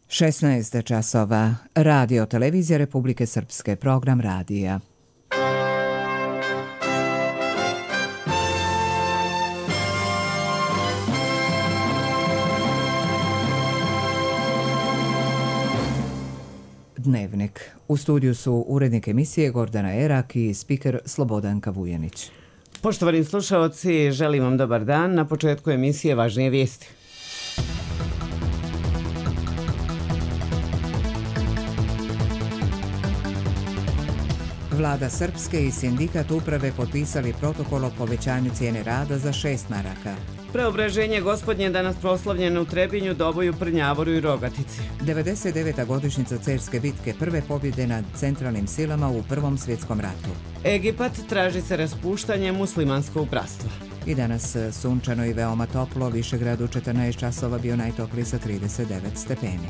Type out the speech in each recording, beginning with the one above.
16 časova. Radio Televizija Republike Srpske. Program radija. Dnevnik. U studiju su urednik emisije Gordana Erak i spiker Slobodanka Vujanić. Poštovani slušaoci, želim vam dobar dan. Na početku emisije važnije vijesti. Vlada Srpske i sindikat uprave potpisali protokol o povećanju cijene rada za 6 maraka. Preobraženje Gospodnje danas proslavljeno u Trebinju, Doboju, Prnjavoru i Rogatici. 99. godišnjica Cerske bitke, prve pobjede nad centralnim silama u Prvom svjetskom ratu. Egipat traži se raspuštanje muslimanskog bratstva. I danas sunčano i veoma toplo, Višegrad u 14 časova bio najtopliji sa 39 stepeni.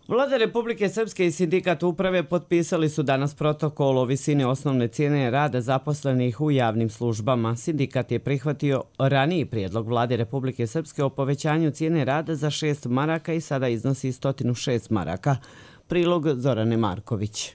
Vlada Republike Srpske i sindikat uprave potpisali su danas protokol o visini osnovne cijene rada zaposlenih u javnim službama. Sindikat je prihvatio raniji prijedlog Vlade Republike Srpske o povećanju cijene rada za 6 maraka i sada iznosi 106 maraka. Prilog Zorane Marković.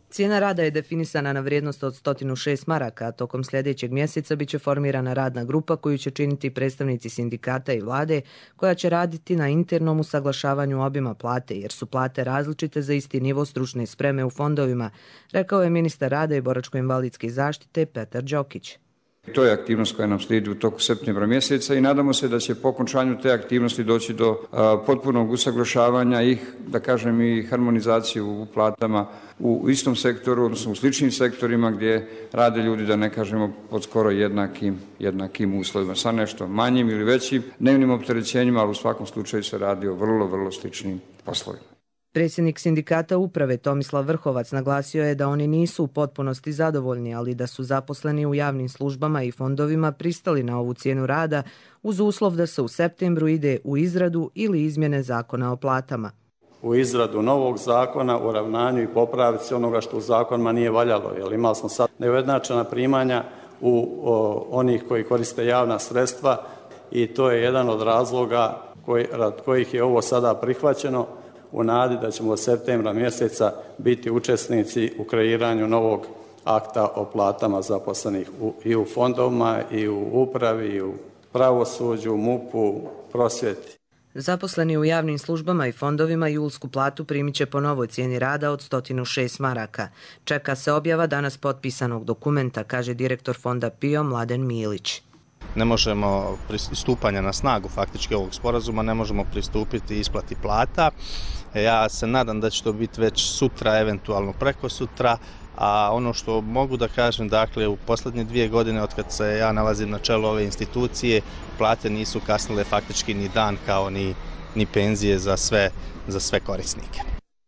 Cijena rada je definisana na vrijednost od 106 maraka, a tokom sljedećeg mjeseca biće formirana radna grupa koju će činiti predstavnici sindikata i vlade, koja će raditi na internom usaglašavanju obima plate, jer su plate različite za isti nivo stručne spreme u fondovima, rekao je ministar rada i boračko-invalidske zaštite Petar Đokić. To je aktivnost koja nam slijedi u toku septembra mjeseca i nadamo se da će po okončanju te aktivnosti doći do potpunog usaglašavanja i, da kažem, i harmonizaciju u platama u istom sektoru, odnosno u sličnim sektorima gdje rade ljudi, da ne kažemo, pod skoro jednakim uslovima, sa nešto manjim ili većim dnevnim opterećenjima, ali u svakom slučaju se radi o vrlo sličnim poslovima. Predsjednik sindikata uprave Tomislav Vrhovac naglasio je da oni nisu u potpunosti zadovoljni, ali da su zaposleni u javnim službama i fondovima pristali na ovu cijenu rada uz uslov da se u septembru ide u izradu ili izmjene zakona o platama. U izradu novog zakona, u ravnanju i popravici onoga što u zakonima nije valjalo, jer imali smo sad neujednačena primanja u onih koji koriste javna sredstva i to je jedan od razloga rad kojih je ovo sada prihvaćeno, u nadi da ćemo od septembra mjeseca biti učesnici u kreiranju novog akta o platama zaposlenih i u fondovima, i u upravi, i u pravosuđu, MUP-u, prosvjeti. Zaposleni u javnim službama i fondovima julsku platu primit će po novoj cijeni rada od 106 maraka. Čeka se objava danas potpisanog dokumenta, kaže direktor fonda PIO Mladen Milić. Ne možemo pristupanja na snagu faktički ovog sporazuma, ne možemo pristupiti isplati plata. Ja se nadam da će to biti već sutra, eventualno preko sutra, a ono što mogu da kažem, dakle, u posljednje 2 godine od kad se ja nalazim na čelu ove institucije, plate nisu kasnile faktički ni dan kao ni penzije za sve korisnike.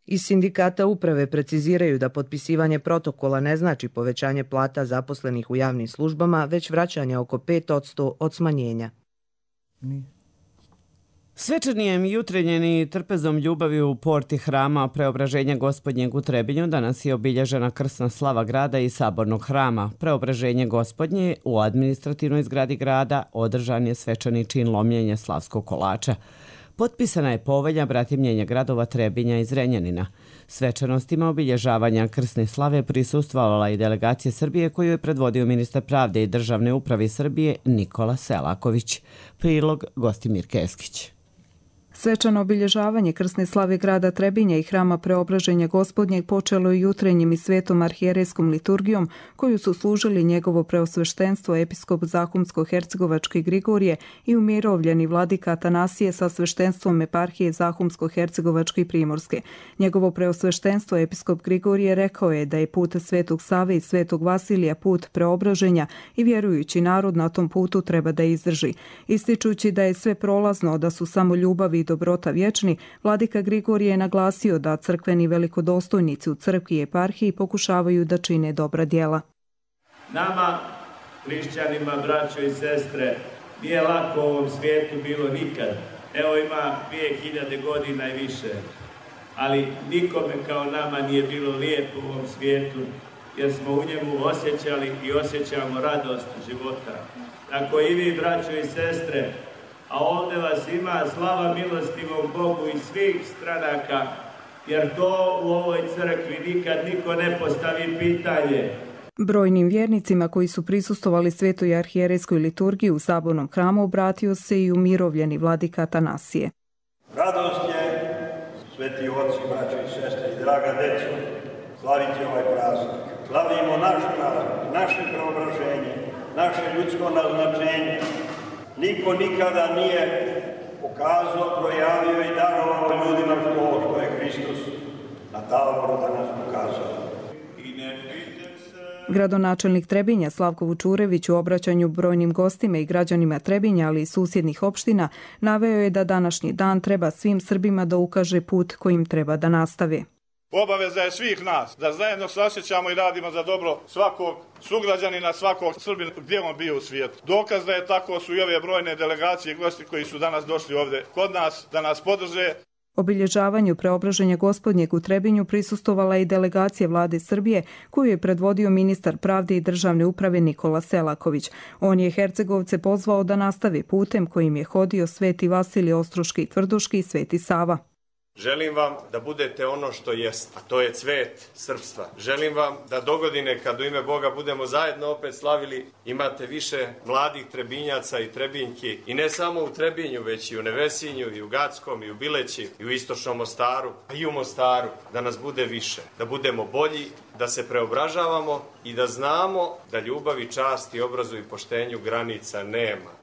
Iz sindikata uprave preciziraju da potpisivanje protokola ne znači povećanje plata zaposlenih u javnim službama, već vraćanje oko 5% od smanjenja. Svečanijem jutrenjem i trpezom ljubavi u porti hrama Preobraženja Gospodnjeg u Trebinju danas je obilježena krsna slava grada i sabornog hrama. Preobraženje Gospodnje u administrativnoj zgradi grada održan je svečani čin lomljenja slavskog kolača. Potpisana je povelja bratimljenja gradova Trebinja i Zrenjanina. Svečanostima obilježavanja krsne slave prisustvovala i delegacija Srbije koju je predvodio ministar pravde i državne uprave Srbije Nikola Selaković. Prilog Gostimir Keskić. Svečano obilježavanje krsne slave grada Trebinja i hrama Preobraženja Gospodnjeg počelo je jutrenjim i svetom arhijerejskom liturgijom koju su služili njegovo preosveštenstvo episkop Zahumsko-hercegovački Grigorije i umirovljeni vladika Atanasije sa sveštenstvom eparhije Zahumsko-hercegovačke i Primorske. Njegovo preosveštenstvo episkop Grigorije rekao je da je put Svetog Save i Svetog Vasilija put preobraženja i vjerujući narod na tom putu treba da izdrži. Ističući da je sve prolazno, da su samo ljubav i dobrota vječni, vladika Grigorije je naglasio da crkveni velikodostojnici u crkvi i eparhiji pokušavaju da čine dobra djela. Nama, hrišćanima, braćo i sestre, nije lako u ovom svijetu bilo nikad. Evo ima 2000 godina i više. Ali nikome kao nama nije bilo lijepo u ovom svijetu, jer smo u njemu osjećali i osjećamo radost života. tako i vi, braćo i sestre, a ovdje vas ima, slava milostivom Bogu iz svih stranaka, jer to u ovoj crkvi nikad niko ne postavi pitanje. Brojnim vjernicima koji su prisustvovali svetoj arhijerejskoj liturgiji u sabornom hramu obratio se i umirovljeni vladika Atanasije. Radost je, sveti oci, braćo i sestre i draga deco, slaviti ovaj praznik. Slavimo naš praznik, naše preobraženje, naše ljudsko naznačenje. Niko nikada nije pokazao, projavio i darovao ljudima što je Hristos na Tavoru danas pokazao. Gradonačelnik Trebinja Slavko Vučurević u obraćanju brojnim gostima i građanima Trebinja, ali i susjednih opština, naveo je da današnji dan treba svim Srbima da ukaže put kojim treba da nastave. Obaveza je svih nas da zajedno se osjećamo i radimo za dobro svakog sugrađanina, svakog Srbina gdje on bio u svijetu. Dokaz da je tako su i ove brojne delegacije i gosti koji su danas došli ovdje kod nas da nas podrže. Obilježavanju Preobraženja Gospodnjeg u Trebinju prisustvovala i delegacija vlade Srbije koju je predvodio ministar pravde i državne uprave Nikola Selaković. On je Hercegovce pozvao da nastave putem kojim je hodio Sveti Vasilije Ostroški i Tvrduški i Sveti Sava. Želim vam da budete ono što jest, a to je cvet srpstva. Želim vam da dogodine, kad u ime Boga budemo zajedno opet slavili, imate više mladih Trebinjaca i Trebinjki. I ne samo u Trebinju, već i u Nevesinju, i u Gackom, i u Bileći, i u Istočnom Mostaru, a i u Mostaru. Da nas bude više, da budemo bolji, da se preobražavamo i da znamo da ljubavi, časti, obrazu i poštenju granica nema.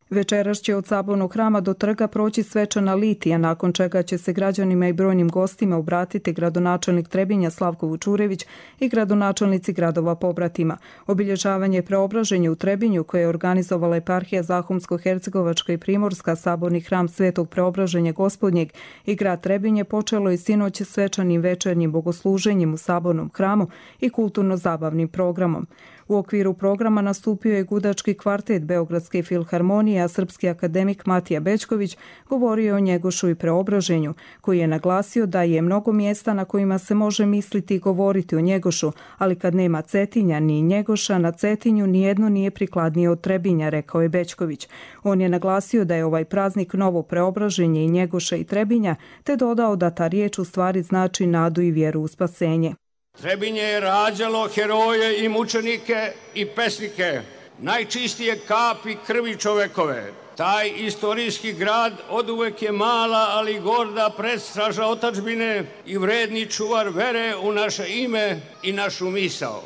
Večeras će od sabornog hrama do trga proći svečana litija, nakon čega će se građanima i brojnim gostima obratiti gradonačelnik Trebinja Slavko Vučurević i gradonačelnici gradova pobratima. Obilježavanje Preobraženja u Trebinju, koje je organizovala eparhija Zahumsko-Hercegovačka i Primorska, saborni hram Svetog Preobraženja Gospodnjeg i grad Trebinje, počelo je sinoć svečanim večernjim bogosluženjem u sabornom hramu i kulturno-zabavnim programom. U okviru programa nastupio je gudački kvartet Beogradske filharmonije, a srpski akademik Matija Bećković govorio o Njegošu i Preobraženju, koji je naglasio da je mnogo mjesta na kojima se može misliti i govoriti o Njegošu, ali kad nema Cetinja ni Njegoša, na Cetinju nijedno nije prikladnije od Trebinja, rekao je Bećković. On je naglasio da je ovaj praznik novo preobraženje i Njegoša i Trebinja, te dodao da ta riječ u stvari znači nadu i vjeru u spasenje. Trebinje je rađalo heroje i mučenike i pesnike, najčistije kapi krvi čovekove. Taj istorijski grad oduvek je mala, ali gorda predstraža otadžbine i vredni čuvar vere u naše ime i našu misao.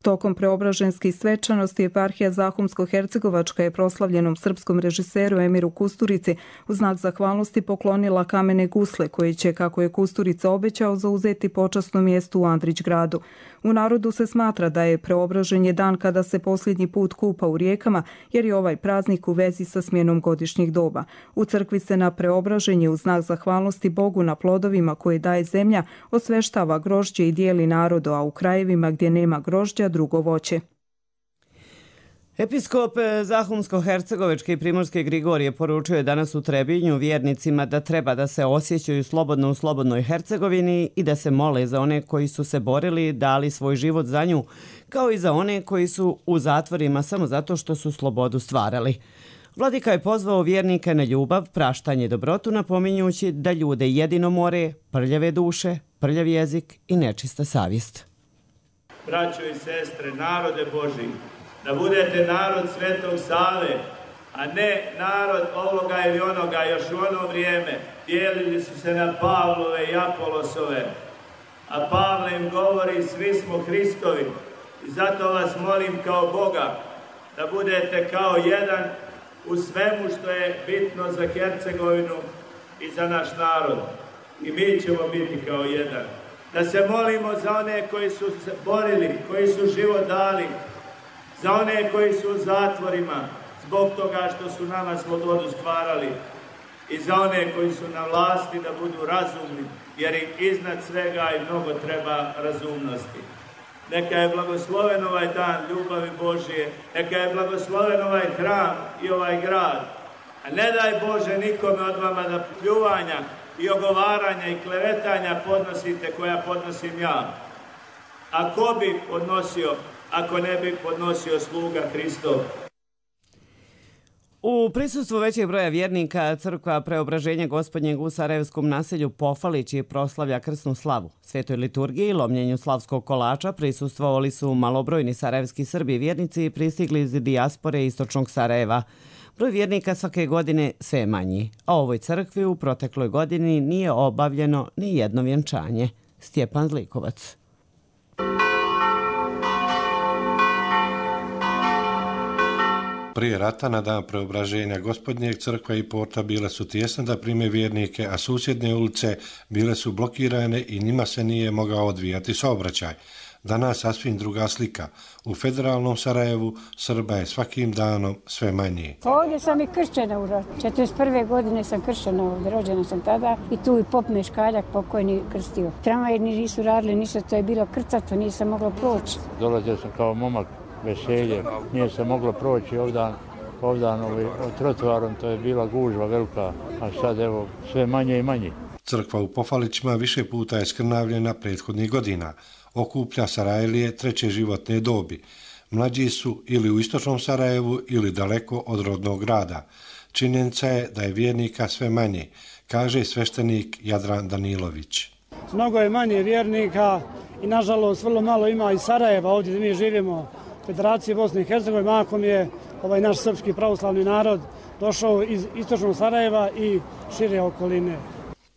Tokom preobraženskih svečanosti eparhija Zahumsko-Hercegovačka je proslavljenom srpskom režiseru Emiru Kusturici u znak zahvalnosti poklonila kamene gusle koje će, kako je Kusturica obećao, zauzeti počasno mjesto u Andrićgradu. U narodu se smatra da je Preobraženje dan kada se posljednji put kupa u rijekama, jer je ovaj praznik u vezi sa smjenom godišnjih doba. U crkvi se na Preobraženje u znak zahvalnosti Bogu na plodovima koje daje zemlja osveštava grožđe i dijeli narodu, a u krajevima gdje nema grožđa drugo voće. Episkop Zahumsko-Hercegovačke i Primorske Grigorije poručio je danas u Trebinju vjernicima da treba da se osjećaju slobodno u slobodnoj Hercegovini i da se mole za one koji su se borili, dali svoj život za nju, kao i za one koji su u zatvorima samo zato što su slobodu stvarali. Vladika je pozvao vjernike na ljubav, praštanje i dobrotu, napominjući da ljude jedino more, prljave duše, prljav jezik i nečista savjest. Braćo i sestre, narode Božji, da budete narod Svetog Save, a ne narod ovoga ili onoga. Još u ono vrijeme dijelili su se na Pavlove i Apolosove, a Pavle im govori svi smo Hristovi. I zato vas molim kao Boga da budete kao jedan u svemu što je bitno za Hercegovinu i za naš narod. I mi ćemo biti kao jedan. Da se molimo za one koji su se borili, koji su život dali, za one koji su u zatvorima zbog toga što su nama slobodu stvarali i za one koji su na vlasti da budu razumni, jer im iznad svega i mnogo treba razumnosti. Neka je blagosloven ovaj dan ljubavi Božije, neka je blagosloven ovaj hram i ovaj grad, a ne daj Bože nikome od vama da pljuvanja i ogovaranja i klevetanja podnosite koja podnosim ja. A ko bi podnosio ako ne bi podnosio sluga Hristov? U prisustvu većeg broja vjernika crkva Preobraženja Gospodnjeg u Sarajevskom naselju Pofalići proslavlja krsnu slavu. Svetoj liturgiji i lomljenju slavskog kolača prisustvovali su malobrojni sarajevski Srbi vjernici pristigli iz dijaspore istočnog Sarajeva. Broj vjernika svake godine sve je manji, a ovoj crkvi u protekloj godini nije obavljeno ni jedno vjenčanje. Stjepan Zlikovac. Prije rata na dan Preobraženja Gospodnjeg crkva i porta bile su tijesne da prime vjernike, a susjedne ulice bile su blokirane i njima se nije mogao odvijati saobraćaj. Danas sasvim druga slika. U federalnom Sarajevu Srba je svakim danom sve manje. Ovdje sam i kršćana u ratu. 41. godine sam kršćana ovdje, rođena sam tada i tu i pop Meškaljak pokojni krstio. Tramvaji nisu radili, ništa, to je bilo krcato, nisam mogla proći. Dolazio sam kao momak veselje, nije se moglo proći ovdan trotoarom, to je bila gužva velika, a sad evo sve manje i manje. Crkva u Pofalićima više puta je skrnavljena prethodnih godina. Okuplja Sarajlije treće životne dobi. Mlađi su ili u istočnom Sarajevu ili daleko od rodnog grada. Činjenica je da je vjernika sve manje, kaže sveštenik Jadran Danilović. Mnogo je manje vjernika i nažalost vrlo malo ima iz Sarajeva, ovdje gdje mi živimo, Federacije Bosne i Hercegovine, mahom je ovaj naš srpski pravoslavni narod došao iz istočnog Sarajeva i šire okoline.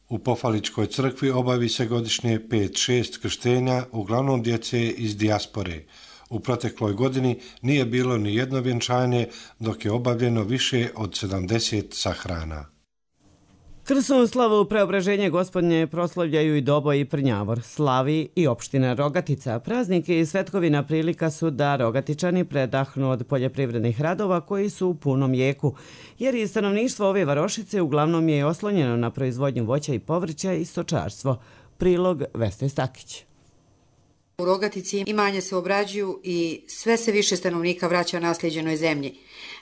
U Pofaličkoj crkvi obavi se godišnje 5-6 krštenja, uglavnom djece iz dijaspore. U protekloj godini nije bilo ni jedno vjenčanje, dok je obavljeno više od 70 sahrana. Krsnu slavu Preobraženja Gospodnje proslavljaju i Doboj i Prnjavor, slavi i opština Rogatica. Praznike i svetkovina prilika su da Rogatičani predahnu od poljoprivrednih radova koji su u punom jeku, jer i stanovništvo ove varošice uglavnom je oslonjeno na proizvodnju voća i povrća i stočarstvo. Prilog Veste Stakić. U Rogatici imanja se obrađuju i sve se više stanovnika vraća nasljeđenoj zemlji.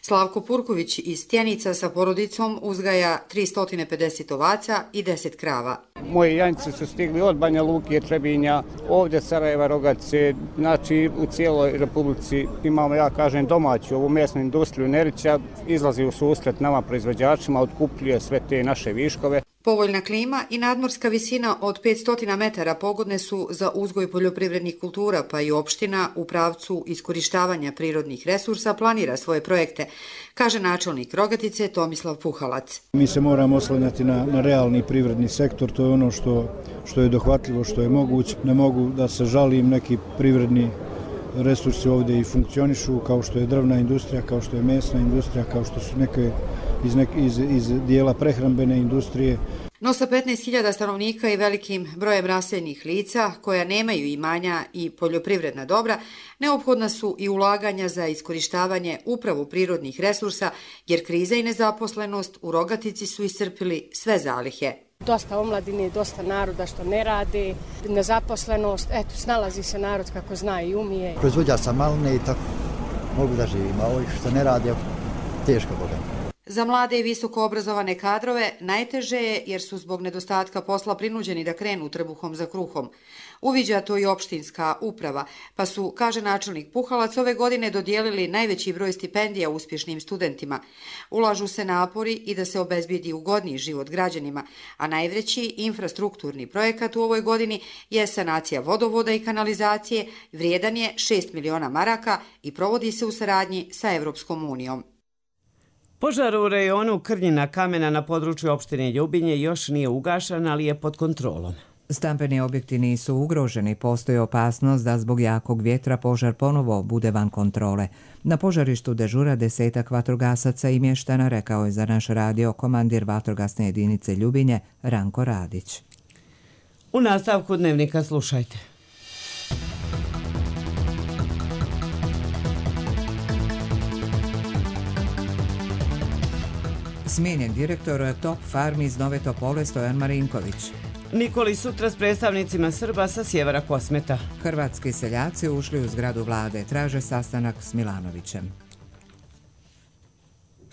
Slavko Purković iz Tjenica sa porodicom uzgaja 350 ovaca i 10 krava. Moji janjci su stigli od Banja Luke, Trebinja, ovdje Sarajeva, Rogatice, znači u cijeloj Republici imamo, ja kažem, domaću ovu mesnu industriju. Nerića izlazi u susret nama proizvođačima, otkupljuje sve te naše viškove. Povoljna klima i nadmorska visina od 500 metara pogodne su za uzgoj poljoprivrednih kultura, pa i opština u pravcu iskorištavanja prirodnih resursa planira svoje projekte, kaže načelnik Rogatice Tomislav Puhalac. Mi se moramo oslanjati na realni privredni sektor, to je ono što je dohvatljivo, što je moguće. Ne mogu da se žalim, neki privredni resursi ovdje i funkcionišu, kao što je drvna industrija, kao što je mesna industrija, kao što su neke iz dijela prehrambene industrije. No sa 15.000 stanovnika i velikim brojem raseljenih lica koja nemaju imanja i poljoprivredna dobra, neophodna su i ulaganja za iskorištavanje upravo prirodnih resursa, jer kriza i nezaposlenost u Rogatici su iscrpili sve zalihe. Dosta omladine, dosta naroda što ne rade, nezaposlenost, eto, snalazi se narod kako zna i umije. Proizvođač sam maline i tako mogu da živim, a ovih što ne rade, teško boga. Za mlade i visoko obrazovane kadrove najteže je jer su zbog nedostatka posla prinuđeni da krenu trbuhom za kruhom. Uviđa to i opštinska uprava, pa su, kaže načelnik Puhalac, ove godine dodijelili najveći broj stipendija uspješnim studentima. Ulažu se napori i da se obezbijedi ugodniji život građanima, a najveći infrastrukturni projekat u ovoj godini je sanacija vodovoda i kanalizacije, vrijedan je 6 miliona maraka i provodi se u saradnji sa Evropskom unijom. Požar u rejonu Krnjina kamena na području opštine Ljubinje još nije ugašan, ali je pod kontrolom. Stambeni objekti nisu ugroženi, postoji opasnost da zbog jakog vjetra požar ponovo bude van kontrole. Na požarištu dežura 10 vatrogasaca i mještana, rekao je za naš radio komandir vatrogasne jedinice Ljubinje Ranko Radić. U nastavku dnevnika slušajte. Smijenjen direktor Top Farmi iz Nove Topole Stojan Marinković. Nikoli sutra s predstavnicima Srba sa sjevera Kosmeta. Hrvatski seljaci ušli u zgradu vlade, traže sastanak s Milanovićem.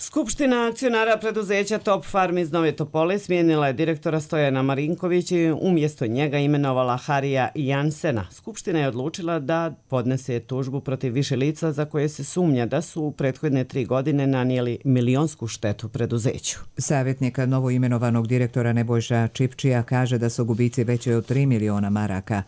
Skupština akcionara preduzeća Top Farm iz Nove Topole smijenila je direktora Stojana Marinkovića i umjesto njega imenovala Harija Jansena. Skupština je odlučila da podnese tužbu protiv više lica za koje se sumnja da su u prethodne 3 godine nanijeli milionsku štetu preduzeću. Savjetnik novoimenovanog direktora Nebojša Čipčija kaže da su gubici veći od 3 miliona maraka.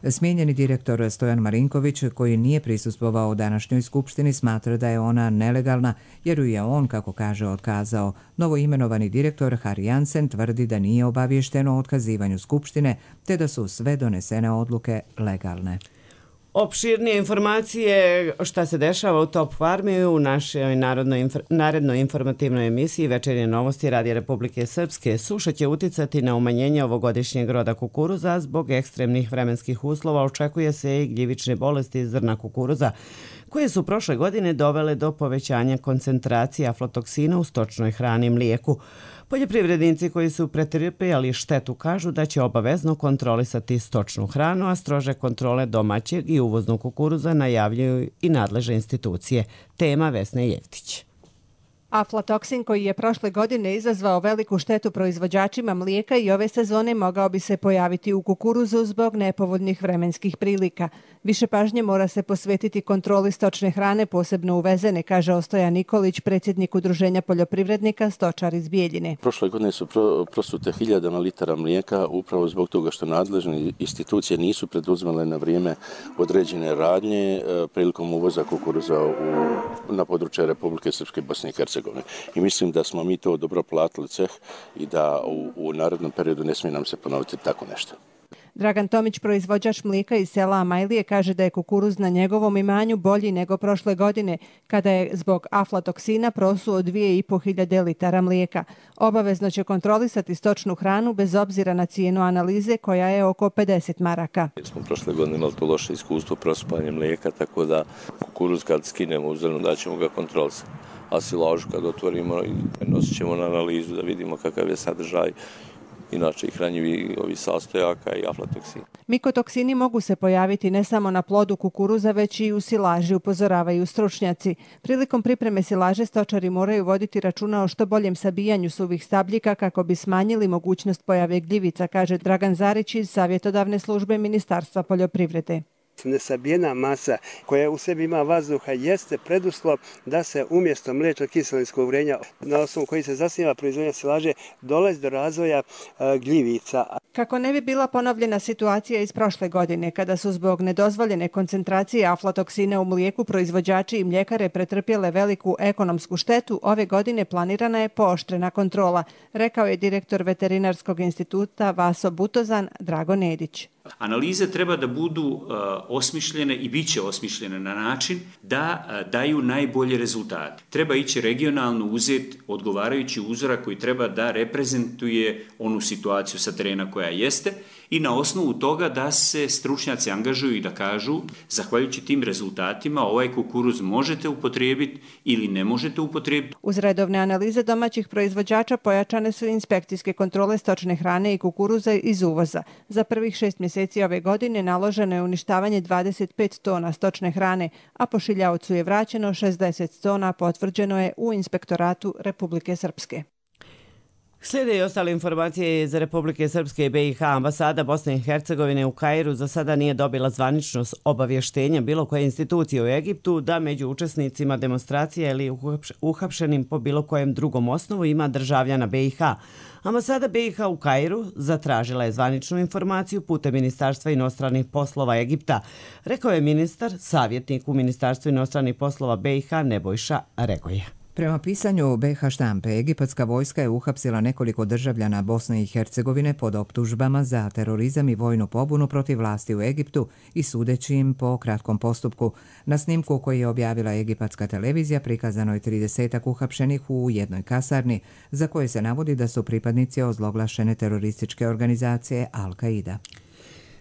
Smijenjeni direktor Stojan Marinković, koji nije prisustvovao današnjoj skupštini, smatra da je ona nelegalna jer ju je on, kako kaže, otkazao. Novoimenovani direktor Harry Jansen tvrdi da nije obavješteno o otkazivanju skupštine te da su sve donesene odluke legalne. Opširnije informacije šta se dešava u Top Farmi u našoj narednoj informativnoj emisiji Večernje novosti Radija Republike Srpske. Suša će uticati na umanjenje ovogodišnjeg roda kukuruza. Zbog ekstremnih vremenskih uslova očekuje se i gljivične bolesti zrna kukuruza, koje su prošle godine dovele do povećanja koncentracije aflatoksina u stočnoj hrani i mlijeku. Poljoprivrednici koji su pretrpjeli štetu kažu da će obavezno kontrolisati stočnu hranu, a strože kontrole domaćeg i uvoznog kukuruza najavljuju i nadležne institucije. Tema Vesne Jevtić. Aflatoksin koji je prošle godine izazvao veliku štetu proizvođačima mlijeka i ove sezone mogao bi se pojaviti u kukuruzu zbog nepovoljnih vremenskih prilika. Više pažnje mora se posvetiti kontroli stočne hrane, posebno uvezene, kaže Ostoja Nikolić, predsjednik Udruženja poljoprivrednika Stočar iz Bijeljine. Prošle godine su prosute 1000 litara mlijeka upravo zbog toga što nadležne institucije nisu preduzimale na vrijeme određene radnje prilikom uvoza kukuruza na područje Republike Srpske, Bosne i Hercegovine. I mislim da smo mi to dobro platili ceh i da u narednom periodu ne smije nam se ponoviti tako nešto. Dragan Tomić, proizvođač mlijeka iz sela Amajlije, kaže da je kukuruz na njegovom imanju bolji nego prošle godine, kada je zbog aflatoksina prosuo 2500 litara mlijeka. Obavezno će kontrolisati stočnu hranu bez obzira na cijenu analize, koja je oko 50 maraka. Smo prošle godine imali to loše iskustvo prosipanje mlijeka, tako da kukuruz kad skinemo u zrnu da ćemo ga kontrolisati. A silažu kad otvorimo i nosit ćemo na analizu da vidimo kakav je sadržaj, inače i hranjivi sastojaka i aflatoksin. Mikotoksini mogu se pojaviti ne samo na plodu kukuruza, već i u silaži, upozoravaju stručnjaci. Prilikom pripreme silaže stočari moraju voditi računa o što boljem sabijanju suvih stabljika kako bi smanjili mogućnost pojave gljivica, kaže Dragan Zarić iz Savjetodavne službe Ministarstva poljoprivrede. Nesabijena masa koja u sebi ima vazduha jeste preduslov da se umjesto mliječnog kiselinskog vrenja, na osnovu koji se zasniva proizvodnja silaže, dolazi do razvoja gljivica. Kako ne bi bila ponovljena situacija iz prošle godine, kada su zbog nedozvoljene koncentracije aflatoksina u mlijeku proizvođači i mljekare pretrpjele veliku ekonomsku štetu, ove godine planirana je pooštrena kontrola, rekao je direktor Veterinarskog instituta Vaso Butozan Drago Nedić. Analize treba da budu osmišljene i bit će osmišljene na način da daju najbolje rezultate. Treba ići regionalno uzeti odgovarajući uzorak koji treba da reprezentuje onu situaciju sa terena koja jeste i na osnovu toga da se stručnjaci angažuju i da kažu zahvaljujući tim rezultatima ovaj kukuruz možete upotrijebiti ili ne možete upotrijebiti. Uz redovne analize domaćih proizvođača pojačane su inspekcijske kontrole stočne hrane i kukuruza iz uvoza. Za prvih 6 mjeseci ove godine naloženo je uništavanje 25 tona stočne hrane, a pošiljaocu je vraćeno 60 tona, potvrđeno je u Inspektoratu Republike Srpske. Slijede i ostale informacije iz Republike Srpske i BiH. Ambasada Bosne i Hercegovine u Kairu za sada nije dobila zvanično obavještenje bilo koje institucije u Egiptu da među učesnicima demonstracije ili uhapšenim po bilo kojem drugom osnovu ima državljana BiH. Ambasada BiH u Kairu zatražila je zvaničnu informaciju putem Ministarstva inostranih poslova Egipta, rekao je ministar, savjetnik u Ministarstvu inostranih poslova BiH Nebojša Regoja. Prema pisanju BiH štampe, egipatska vojska je uhapsila nekoliko državljana Bosne i Hercegovine pod optužbama za terorizam i vojnu pobunu protiv vlasti u Egiptu i sudeći im po kratkom postupku. Na snimku koji je objavila egipatska televizija prikazano je 30 uhapšenih u jednoj kasarni, za koje se navodi da su pripadnici ozloglašene terorističke organizacije Al-Qaida.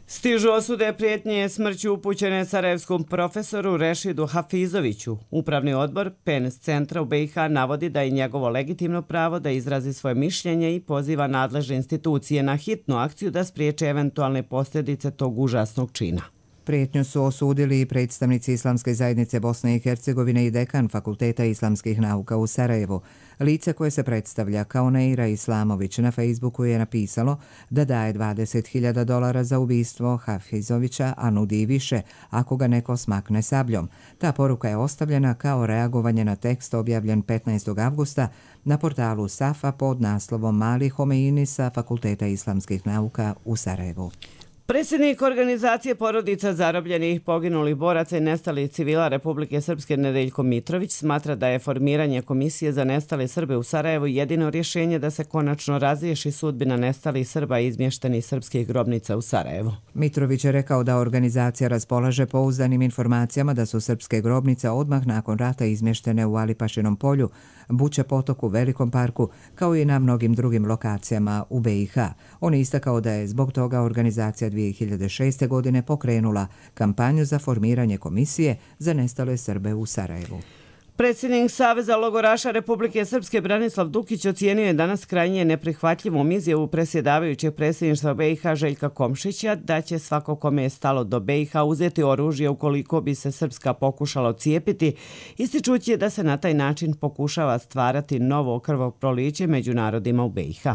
Stižu osude prijetnje smrću upućene sarajevskom profesoru Rešidu Hafizoviću. Upravni odbor PENS centra u BiH navodi da je njegovo legitimno pravo da izrazi svoje mišljenje i poziva nadležne institucije na hitnu akciju da spriječe eventualne posljedice tog užasnog čina. Prijetnju su osudili i predstavnici Islamske zajednice Bosne i Hercegovine i dekan Fakulteta islamskih nauka u Sarajevu. Lice koje se predstavlja kao Neira Islamović na Facebooku je napisalo da daje $20.000 za ubistvo Hafizovića, a nudi i više ako ga neko smakne sabljom. Ta poruka je ostavljena kao reagovanje na tekst objavljen 15. avgusta na portalu Safa pod naslovom Mali Homeini sa Fakulteta islamskih nauka u Sarajevu. Predsjednik organizacije porodica zarobljenih, poginulih boraca i nestalih civila Republike Srpske Nedeljko Mitrović smatra da je formiranje Komisije za nestale Srbe u Sarajevu jedino rješenje da se konačno razriješi sudbina nestalih Srba i izmještenih srpskih grobnica u Sarajevu. Mitrović je rekao da organizacija raspolaže pouzdanim informacijama da su srpske grobnice odmah nakon rata izmještene u Alipašinom polju, Buče potoku, Velikom parku, kao i na mnogim drugim lokacijama u BiH. On je istakao da je zbog toga organizacija 2006. godine pokrenula kampanju za formiranje komisije za nestale Srbe u Sarajevu. Predsjednik Saveza logoraša Republike Srpske Branislav Dukić ocijenio je danas krajnje neprihvatljivom izjavu predsjedavajućeg predsjedništva BiH Željka Komšića da će svako kome je stalo do BiH uzeti oružje ukoliko bi se Srpska pokušala odcijepiti, ističući da se na taj način pokušava stvarati novo krvoproliće među narodima u BiH.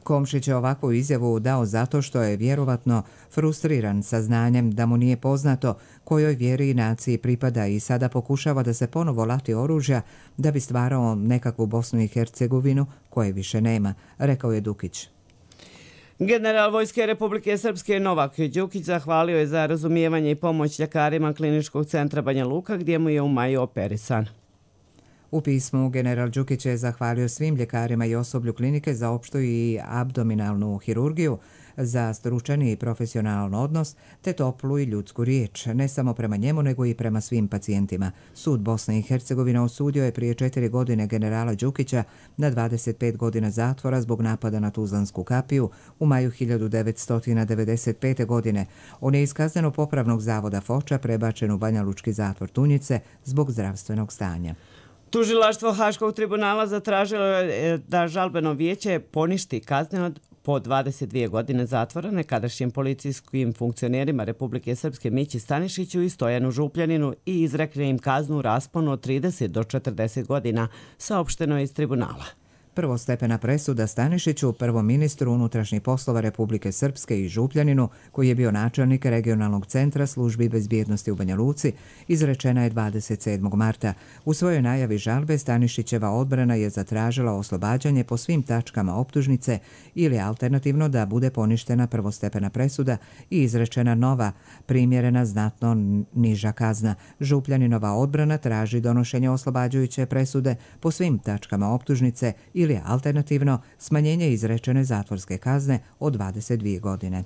Komšić je ovakvu izjavu dao zato što je vjerovatno frustriran saznanjem da mu nije poznato kojoj vjeri i naciji pripada i sada pokušava da se ponovo lati oružja da bi stvarao nekakvu Bosnu i Hercegovinu koje više nema, rekao je Dukić. General Vojske Republike Srpske Novak Đukić zahvalio je za razumijevanje i pomoć ljekarima Kliničkog centra Banja Luka gdje mu je u maju operisan. U pismu general Đukić je zahvalio svim ljekarima i osoblju klinike za opštu i abdominalnu hirurgiju, za stručan i profesionalan odnos, te toplu i ljudsku riječ, ne samo prema njemu, nego i prema svim pacijentima. Sud Bosne i Hercegovine osudio je prije 4 godine generala Đukića na 25 godina zatvora zbog napada na Tuzlansku kapiju u maju 1995. godine. On je iz kazneno-popravnog zavoda Foča prebačen u Banjalučki zatvor Tunjice zbog zdravstvenog stanja. Tužilaštvo Haškog tribunala zatražilo je da žalbeno vijeće poništi kazne po 22 godine zatvora nekadašnjim policijskim funkcionerima Republike Srpske Mići Stanišiću i Stojanu Župljaninu i izrekne im kaznu u rasponu od 30 do 40 godina, saopšteno je iz tribunala. Prvostepena presuda Stanišiću, prvom ministru unutrašnjih poslova Republike Srpske i Župljaninu, koji je bio načelnik regionalnog centra službi bezbjednosti u Banja Luci, izrečena je 27. marta. U svojoj najavi žalbe Stanišićeva odbrana je zatražila oslobađanje po svim tačkama optužnice ili alternativno da bude poništena prvostepena presuda i izrečena nova, primjerena znatno niža kazna. Župljaninova odbrana traži donošenje oslobađajuće presude po svim tačkama optužnice ili alternativno smanjenje izrečene zatvorske kazne od 22 godine.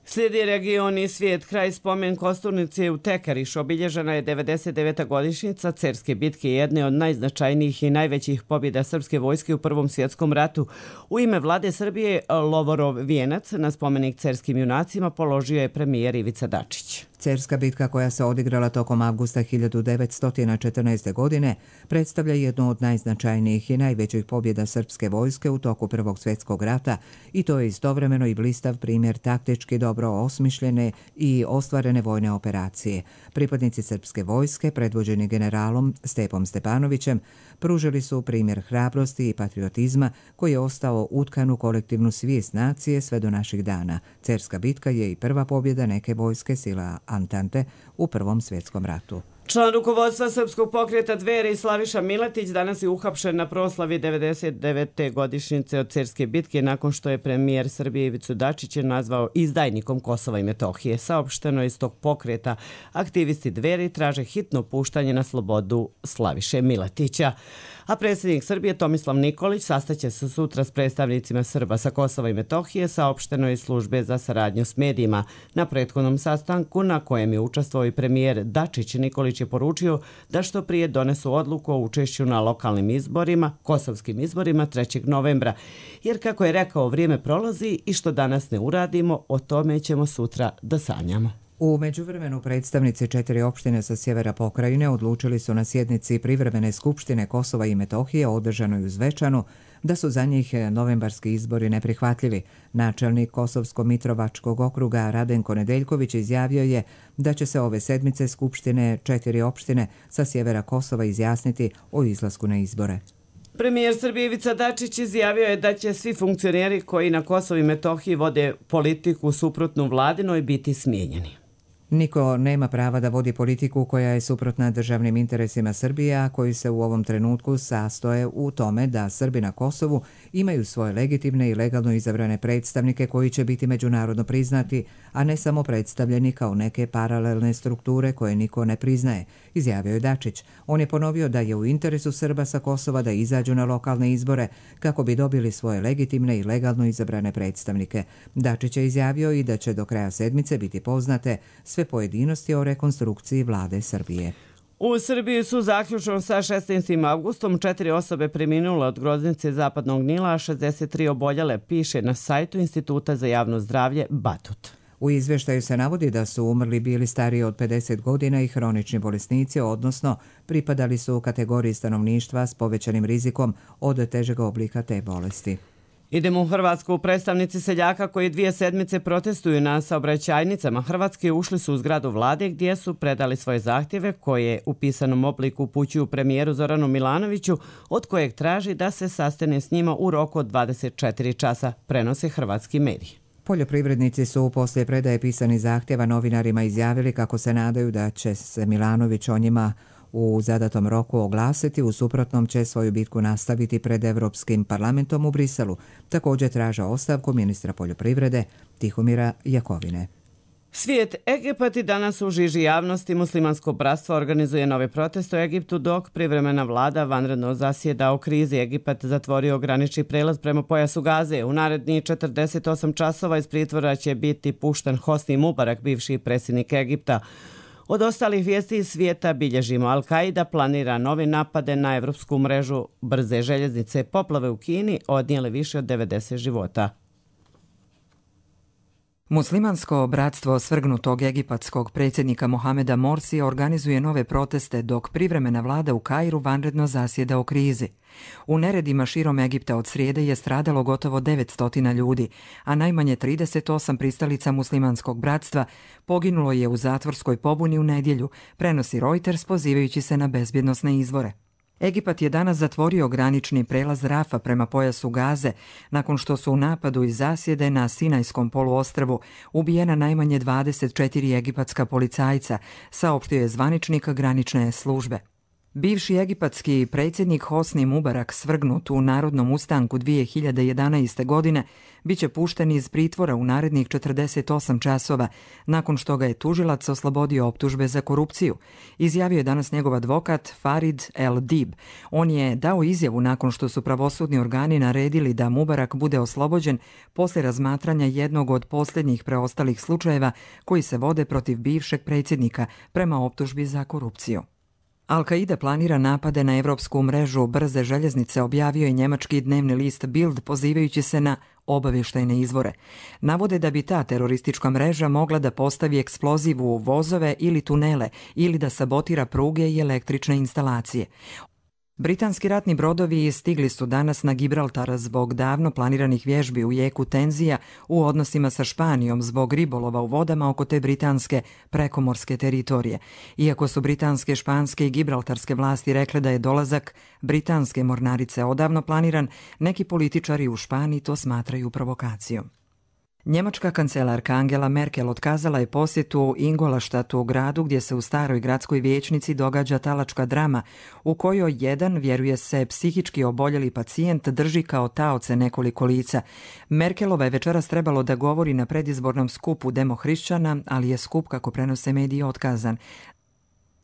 Slijedi region i svijet. Kraj spomen kosturnice u Tekariš obilježena je 99. godišnjica Cerske bitke, jedne od najznačajnijih i najvećih pobjeda srpske vojske u Prvom svjetskom ratu. U ime vlade Srbije Lovorov vijenac na spomenik cerskim junacima položio je premijer Ivica Dačić. Cerska bitka koja se odigrala tokom avgusta 1914. godine predstavlja jednu od najznačajnijih i najvećih pobjeda srpske vojske u toku Prvog svjetskog rata i to je istovremeno i blistav primjer taktički dobro osmišljene i ostvarene vojne operacije. Pripadnici srpske vojske, predvođeni generalom Stepom Stepanovićem, pružili su primjer hrabrosti i patriotizma koji je ostao utkan u kolektivnu svijest nacije sve do naših dana. Cerska bitka je i prva pobjeda neke vojske sila Antante u Prvom svjetskom ratu. Član rukovodstva Srpskog pokreta Dveri Slaviša Miletić danas je uhapšen na proslavi 99. godišnjice od Cerske bitke nakon što je premijer Srbije Ivicu Dačića nazvao izdajnikom Kosova i Metohije. Saopšteno iz tog pokreta aktivisti Dveri traže hitno puštanje na slobodu Slaviše Miletića. A predsjednik Srbije Tomislav Nikolić sastaće se sutra s predstavnicima Srba sa Kosova i Metohije, saopšteno iz službe za saradnju s medijima. Na prethodnom sastanku na kojem je učestvovao i premijer Dačić, Nikolić je poručio da što prije donesu odluku o učešću na lokalnim izborima, kosovskim izborima 3. novembra. Jer kako je rekao, vrijeme prolazi i što danas ne uradimo, o tome ćemo sutra da sanjamo. U međuvremenu predstavnici 4 opštine sa sjevera pokrajine odlučili su na sjednici privremene skupštine Kosova i Metohije održanoj u Zvečanu da su za njih novembarski izbori neprihvatljivi. Načelnik Kosovsko-Mitrovačkog okruga Radenko Nedeljković izjavio je da će se ove sedmice skupštine 4 opštine sa sjevera Kosova izjasniti o izlasku na izbore. Premijer Srbije Ivica Dačić izjavio je da će svi funkcioneri koji na Kosovu i Metohiji vode politiku suprotnu vladinoj biti smijenjeni. Niko nema prava da vodi politiku koja je suprotna državnim interesima Srbije, a koji se u ovom trenutku sastoje u tome da Srbi na Kosovu imaju svoje legitimne i legalno izabrane predstavnike koji će biti međunarodno priznati, a ne samo predstavljeni kao neke paralelne strukture koje niko ne priznaje, izjavio je Dačić. On je ponovio da je u interesu Srba sa Kosova da izađu na lokalne izbore kako bi dobili svoje legitimne i legalno izabrane predstavnike. Dačić je izjavio i da će do kraja sedmice biti poznate sve pojedinosti o rekonstrukciji vlade Srbije. U Srbiji su zaključno sa 16. avgustom 4 osobe preminule od groznice Zapadnog Nila, a 63 oboljele, piše na sajtu Instituta za javno zdravlje Batut. U izveštaju se navodi da su umrli bili stariji od 50 godina i hronični bolesnici, odnosno pripadali su u kategoriji stanovništva s povećanim rizikom od težeg oblika te bolesti. Idemo u Hrvatsku. Predstavnici seljaka koji 2 sedmice protestuju na saobraćajnicama Hrvatske ušli su u zgradu vlade gdje su predali svoje zahtjeve koje u pisanom obliku upućuju premijeru Zoranu Milanoviću, od kojeg traži da se sastane s njima u roku od 24 časa, prenose hrvatski mediji. Poljoprivrednici su poslije predaje pisanih zahtjeva novinarima izjavili kako se nadaju da će se Milanović o njima u zadatom roku oglasiti, u suprotnom će svoju bitku nastaviti pred Evropskim parlamentom u Briselu. Također traže ostavku ministra poljoprivrede Tihomira Jakovine. Svijet Egipat i danas u žiži javnosti muslimansko bratstvo organizuje nove proteste u Egiptu dok privremena vlada vanredno zasjeda o krizi. Egipat zatvorio granični prelaz prema pojasu Gaze. U narednih 48 časova iz pritvora će biti pušten Hosni Mubarak, bivši predsjednik Egipta. Od ostalih vijesti iz svijeta bilježimo Al-Qaida planira nove napade na evropsku mrežu brze željeznice. Poplave u Kini odnijele više od 90 života. Muslimansko bratstvo svrgnutog egipatskog predsjednika Mohameda Morsija organizuje nove proteste dok privremena vlada u Kairu vanredno zasjeda o krizi. U neredima širom Egipta od srijede je stradalo gotovo 900 ljudi, a najmanje 38 pristalica muslimanskog bratstva poginulo je u zatvorskoj pobuni u nedjelju, prenosi Reuters pozivajući se na bezbjednosne izvore. Egipat je danas zatvorio granični prelaz Rafa prema pojasu Gaze nakon što su u napadu iz zasjede na Sinajskom poluostrvu ubijena najmanje 24 egipatska policajca, saopštio je zvaničnik granične službe. Bivši egipatski predsjednik Hosni Mubarak, svrgnut u narodnom ustanku 2011. godine, bit će pušten iz pritvora u narednih 48 časova nakon što ga je tužilac oslobodio optužbe za korupciju, izjavio je danas njegov advokat Farid El Dib. On je dao izjavu nakon što su pravosudni organi naredili da Mubarak bude oslobođen poslije razmatranja jednog od posljednjih preostalih slučajeva koji se vode protiv bivšeg predsjednika prema optužbi za korupciju. Al-Qaida planira napade na evropsku mrežu brze željeznice, objavio je njemački dnevni list Bild pozivajući se na obavještajne izvore. Navode da bi ta teroristička mreža mogla da postavi eksploziv u vozove ili tunele ili da sabotira pruge i električne instalacije. Britanski ratni brodovi stigli su danas na Gibraltar zbog davno planiranih vježbi u jeku tenzija u odnosima sa Španijom zbog ribolova u vodama oko te britanske prekomorske teritorije. Iako su britanske, španske i gibraltarske vlasti rekle da je dolazak britanske mornarice odavno planiran, neki političari u Španiji to smatraju provokacijom. Njemačka kancelarka Angela Merkel otkazala je posjetu Ingolštatu, gradu gdje se u staroj gradskoj vijećnici događa talačka drama u kojoj jedan, vjeruje se, psihički oboljeli pacijent drži kao taoce nekoliko lica. Merkelova je večeras trebalo da govori na predizbornom skupu demohrišćana, ali je skup, kako prenose mediji, otkazan.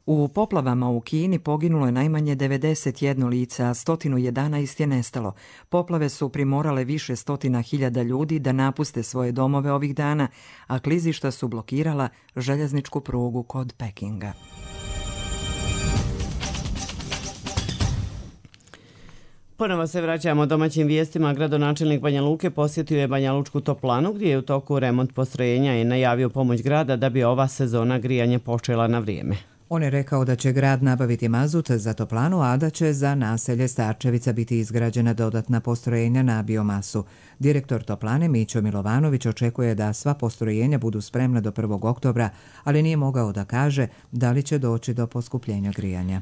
U poplavama u Kini poginulo je najmanje 91 lica, a 111 je nestalo. Poplave su primorale više stotina hiljada ljudi da napuste svoje domove ovih dana, a klizišta su blokirala željezničku prugu kod Pekinga. Ponovo se vraćamo domaćim vijestima. Gradonačelnik Banja Luke posjetio je Banja Lučku toplanu gdje je u toku remont postrojenja i najavio pomoć grada da bi ova sezona grijanja počela na vrijeme. On je rekao da će grad nabaviti mazut za toplanu, a da će za naselje Starčevica biti izgrađena dodatna postrojenja na biomasu. Direktor toplane Mićo Milovanović očekuje da sva postrojenja budu spremna do 1. oktobra, ali nije mogao da kaže da li će doći do poskupljenja grijanja.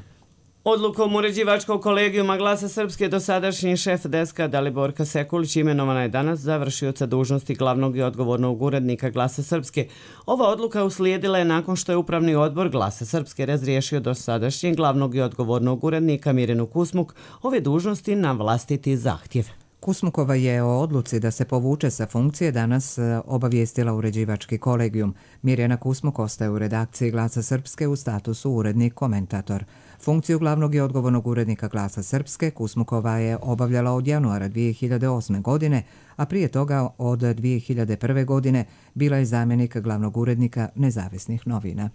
Odlukom uređivačkog kolegijuma Glasa Srpske dosadašnji šef deska Daliborka Sekulić imenovana je danas za vršioca dužnosti glavnog i odgovornog urednika Glasa Srpske. Ova odluka uslijedila je nakon što je Upravni odbor Glasa Srpske razriješio dosadašnjeg glavnog i odgovornog urednika Mirjanu Kusmuk ove dužnosti na vlastiti zahtjev. Kusmukova je o odluci da se povuče sa funkcije danas obavijestila uređivački kolegijum. Mirjana Kusmuk ostaje u redakciji Glasa Srpske u statusu urednik-komentator. Funkciju glavnog i odgovornog urednika Glasa Srpske Kusmukova je obavljala od januara 2008. godine, a prije toga od 2001. godine bila je zamjenik glavnog urednika Nezavisnih novina.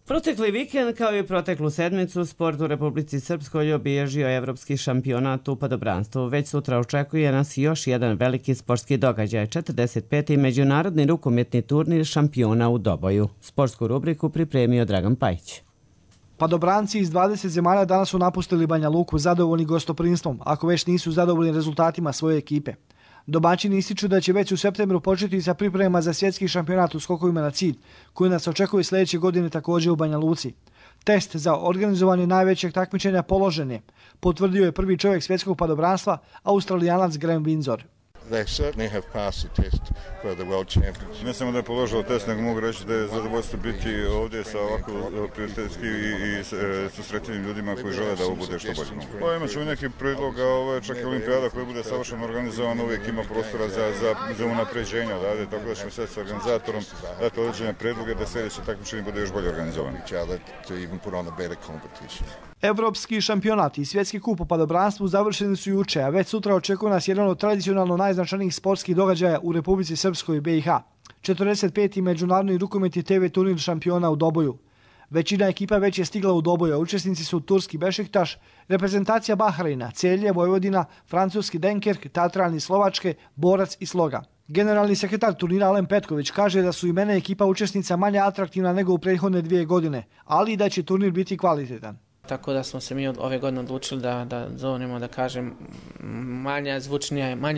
Protekli vikend, kao i proteklu sedmicu, sport u Republici Srpskoj obilježio evropski šampionat u padobranstvu. Već sutra očekuje nas još jedan veliki sportski događaj, 45. međunarodni rukometni turnir šampiona u Doboju. Sportsku rubriku pripremio Dragan Pajić. Padobranci iz 20 zemalja danas su napustili Banja Luku zadovoljni gostoprinstvom, ako već nisu zadovoljni rezultatima svoje ekipe. Domaćini ističu da će već u septembru početi sa pripremama za svjetski šampionat u skokovima na cilj, koji nas očekuje sljedeće godine također u Banja Luci. Test za organizovanje najvećeg takmičenja položen je, potvrdio je prvi čovjek svjetskog padobranstva, Australijanac Graham Windsor. Ne samo da je položilo test, nego mogu reći da je zadovoljstvo biti ovdje sa ovako prijateljski i susretljivim ljudima koji žele da ovo bude što bolje. Pa imat ćemo neki predloga, čak i olimpijada koja bude savršeno organizovana, uvijek ima prostora za unapređenja, tako da ćemo sve s organizatorom dati određene predloge da sljedeće takmičenje bude još bolje organizovano. Evropski šampionat i svjetski kup u padobranstvu završeni su juče, a već sutra očekuje nas jedan od tradicionalno najznačajnijih sportskih događaja u Republici Srpskoj i BiH. 45. međunarodni rukometni TV turnir šampiona u Doboju. Većina ekipa već je stigla u Doboj, a učesnici su turski Bešiktaš, reprezentacija Bahreina, Celje, Vojvodina, francuski Denkerk, Tatran iz Slovačke, Borac i Sloga. Generalni sekretar turnira Alen Petković kaže da su imena ekipa učesnica manje atraktivna nego u prethodne 2 godine, ali i da će turnir biti kvalitetan. Tako da smo se mi ove godine odlučili da zovnemo, da kažem, manje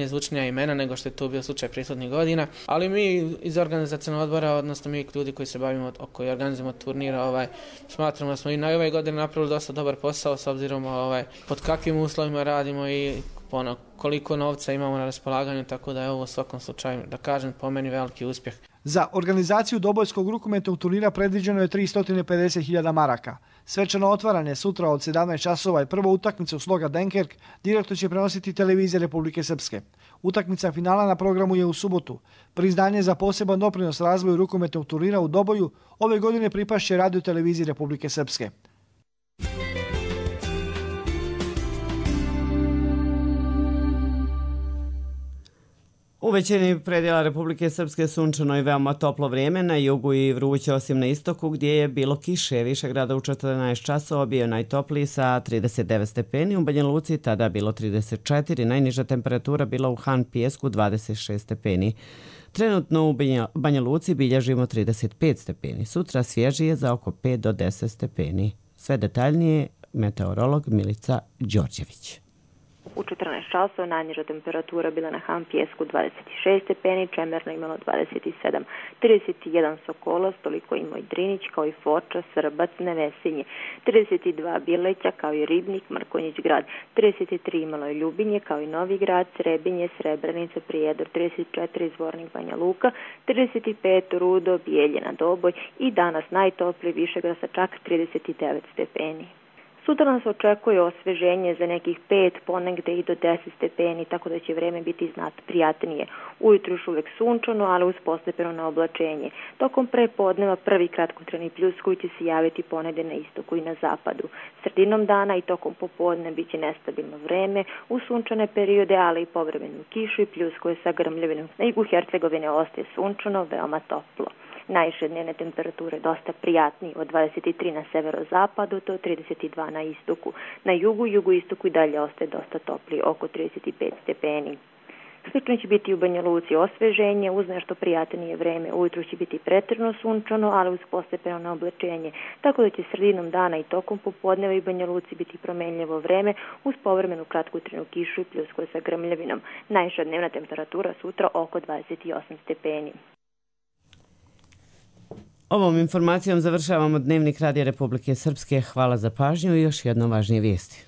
zvučnija imena nego što je to bio slučaj prethodnih godina. Ali mi iz organizacionog odbora, odnosno mi ljudi koji se bavimo, koji organizujemo turnira, smatramo da smo i na ove godine napravili dosta dobar posao s obzirom pod kakvim uslovima radimo i koliko novca imamo na raspolaganju, tako da je ovo u svakom slučaju, da kažem, po meni veliki uspjeh. Za organizaciju dobojskog rukometnog turnira predviđeno je 350.000 maraka. Svečano otvaranje sutra od 17 časova i prva utakmica u Sloga Denkerk direktno će prenositi televizija Republike Srpske. Utakmica finala na programu je u subotu. Priznanje za poseban doprinos razvoju rukometnog turnira u Doboju ove godine pripašće radio televiziji Republike Srpske. U većini predjela Republike Srpske sunčano i veoma toplo vrijeme, na jugu i vruće osim na istoku gdje je bilo kiše. Višegrada u 14 časova bio najtopliji sa 39 stepeni, u Banja Luci tada bilo 34, najniža temperatura bila u Han Pijesku 26 stepeni. Trenutno u Banja Luci bilježimo 35 stepeni, sutra svježije za oko 5 do 10 stepeni. Sve detaljnije meteorolog Milica Đorđević. U 14 časova najniža temperatura bila na Han Pijesku 26 stepeni, Čemerno imalo 27, 31 Sokolac, toliko imao i Drinić, kao i Foča, Srbac, Nevesinje, 32 Bileća, kao i Ribnik, Mrkonjić grad, 33 imalo i Ljubinje, kao i Novi grad, Srebinje, Srebrenica, Prijedor, 34 Zvornik, Banja Luka, 35 Rudo, Bijeljina, Doboj i danas najtopliji Višegrad sa čak 39 stepeni. Sutra nas očekuje osveženje za nekih 5, ponegde i do 10 stepeni, tako da će vreme biti znatno prijatnije. Ujutru još uvek sunčano, ali uz postepeno oblačenje. Tokom prepodneva prvi kratkotrajni pljusk koji će se javiti ponegde na istoku i na zapadu. Sredinom dana i tokom popodne bit će nestabilno vreme, u sunčane periode, ali i povremenu kišu i pljuskuje sa grmljavinom. Na jugu Hercegovine ostaje sunčano, veoma toplo. Najviše dnevne temperature dosta prijatniji, od 23 na severozapadu do 32 na istoku. Na jugu, jugoistoku i dalje ostaje dosta topliji, oko 35 stepeni. Slično će biti u Banja Luci osveženje, uz nešto prijatnije vreme. Ujutru će biti preterno sunčano, ali uz postepeno na oblačenje. Tako da će sredinom dana i tokom popodneva i Banja Luci biti promenljivo vreme, uz povremenu kratkotrajnu kišu i pljuskove sa grmljavinom. Najviša dnevna temperatura sutra oko 28 stepeni. Ovom informacijom završavamo Dnevnik Radija Republike Srpske. Hvala za pažnju i još jedno važnije vijesti.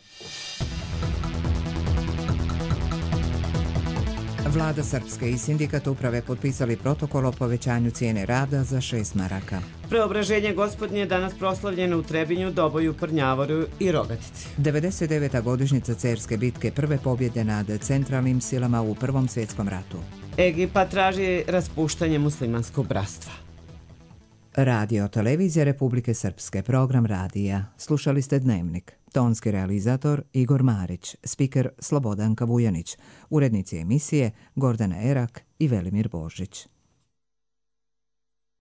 Vlada Srpske i sindikat uprave potpisali protokol o povećanju cijene rada za 6 maraka. Preobraženje Gospodnje je danas proslavljeno u Trebinju, Doboju, Prnjavoru i Rogatici. 99. godišnjica Cerske bitke, prve pobjede nad centralnim silama u Prvom svjetskom ratu. Egipat traži raspuštanje muslimanskog bratstva. Radio Televizija Republike Srpske, program radija. Slušali ste Dnevnik. Tonski realizator Igor Marić, spiker Slobodanka Vujanić, urednici emisije Gordana Erak i Velimir Božić.